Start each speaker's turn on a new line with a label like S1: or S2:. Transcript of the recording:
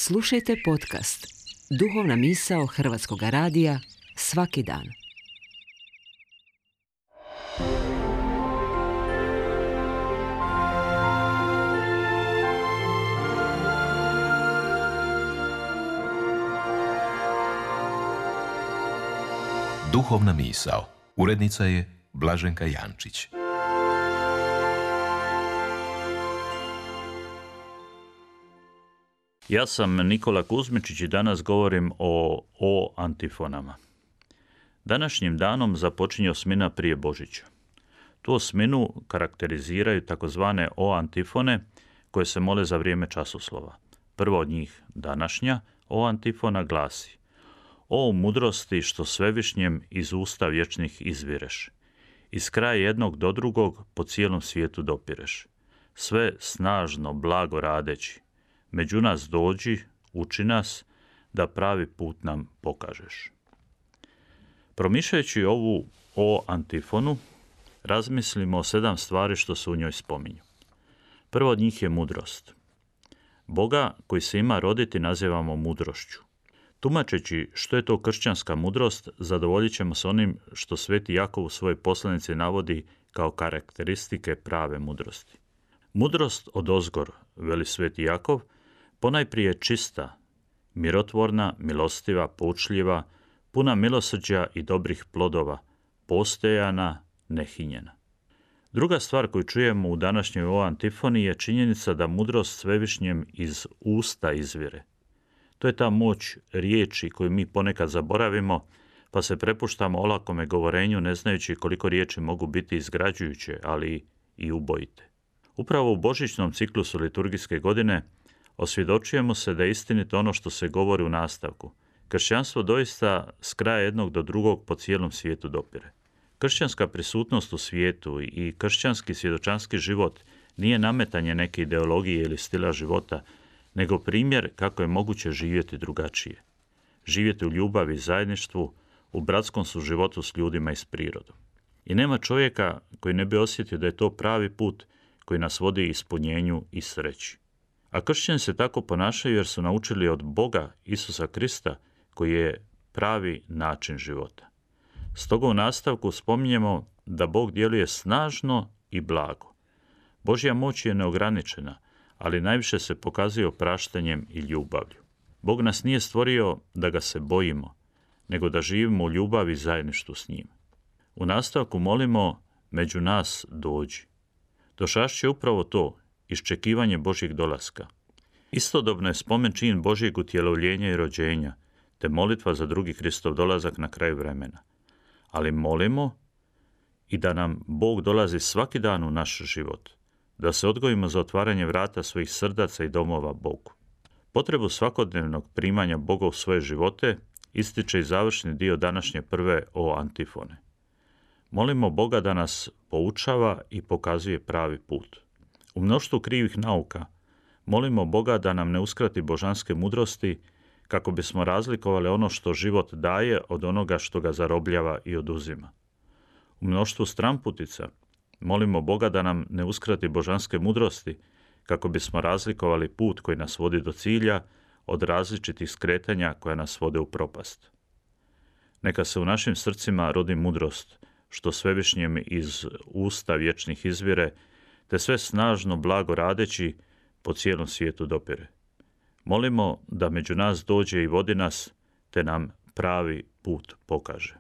S1: Slušajte podcast Duhovna misao Hrvatskog radija svaki dan.
S2: Duhovna misao. Urednica je Blaženka Jančić.
S3: Ja sam Nikola Kuzmičić i danas govorim o antifonama. Današnjim danom započinje osmina prije Božića. Tu osminu karakteriziraju takozvane antifone koje se mole za vrijeme časoslova. Prva od njih, današnja antifona, glasi: O mudrosti što svevišnjem iz usta vječnih izvireš. Iz kraja jednog do drugog po cijelom svijetu dopireš. Sve snažno, blago radeći. Među nas dođi, uči nas, da pravi put nam pokažeš. Promišljajući ovu antifonu, razmislimo o 7 stvari što se u njoj spominju. Prvo od njih je mudrost. Boga koji se ima roditi nazivamo mudrošću. Tumačeći što je to kršćanska mudrost, zadovoljit ćemo se onim što Sveti Jakov u svojoj poslanici navodi kao karakteristike prave mudrosti. Mudrost odozgor, veli Sveti Jakov, ponajprije čista, mirotvorna, milostiva, poučljiva, puna milosrđa i dobrih plodova, postojana, nehinjena. Druga stvar koju čujemo u današnjoj antifoni je činjenica da mudrost svevišnjem iz usta izvire. To je ta moć riječi koju mi ponekad zaboravimo, pa se prepuštamo olakome govorenju ne znajući koliko riječi mogu biti izgrađujuće, ali i ubojite. Upravo u božićnom ciklusu liturgijske godine osvjedočujemo se da je istinito ono što se govori u nastavku. Kršćanstvo doista s kraja jednog do drugog po cijelom svijetu dopire. Kršćanska prisutnost u svijetu i kršćanski svjedočanski život nije nametanje neke ideologije ili stila života, nego primjer kako je moguće živjeti drugačije. Živjeti u ljubavi i zajedništvu, u bratskom suživotu s ljudima i s prirodom. I nema čovjeka koji ne bi osjetio da je to pravi put koji nas vodi ispunjenju i sreći. A kršćani se tako ponašaju jer su naučili od Boga Isusa Krista koji je pravi način života. Stoga u nastavku spominjemo da Bog djeluje snažno i blago. Božja moć je neograničena, ali najviše se pokazuje opraštanjem i ljubavlju. Bog nas nije stvorio da ga se bojimo, nego da živimo u ljubavi i zajedništvu s njim. U nastavku molimo: među nas dođi. Došašće je upravo to, iščekivanje Božjeg dolaska. Istodobno je spomen čin Božjeg utjelovljenja i rođenja, te molitva za drugi Kristov dolazak na kraju vremena. Ali molimo i da nam Bog dolazi svaki dan u naš život, da se odgojimo za otvaranje vrata svojih srdaca i domova Bogu. Potrebu svakodnevnog primanja Boga u svoje živote ističe i završni dio današnje prve antifone. Molimo Boga da nas poučava i pokazuje pravi put. U mnoštvu krivih nauka molimo Boga da nam ne uskrati božanske mudrosti kako bismo razlikovali ono što život daje od onoga što ga zarobljava i oduzima. U mnoštvu stramputica molimo Boga da nam ne uskrati božanske mudrosti kako bismo razlikovali put koji nas vodi do cilja od različitih skretanja koja nas vode u propast. Neka se u našim srcima rodi mudrost što svevišnjem iz usta vječnih izvire, te sve snažno blago radeći po cijelom svijetu dopire. Molimo da među nas dođe i vodi nas, te nam pravi put pokaže.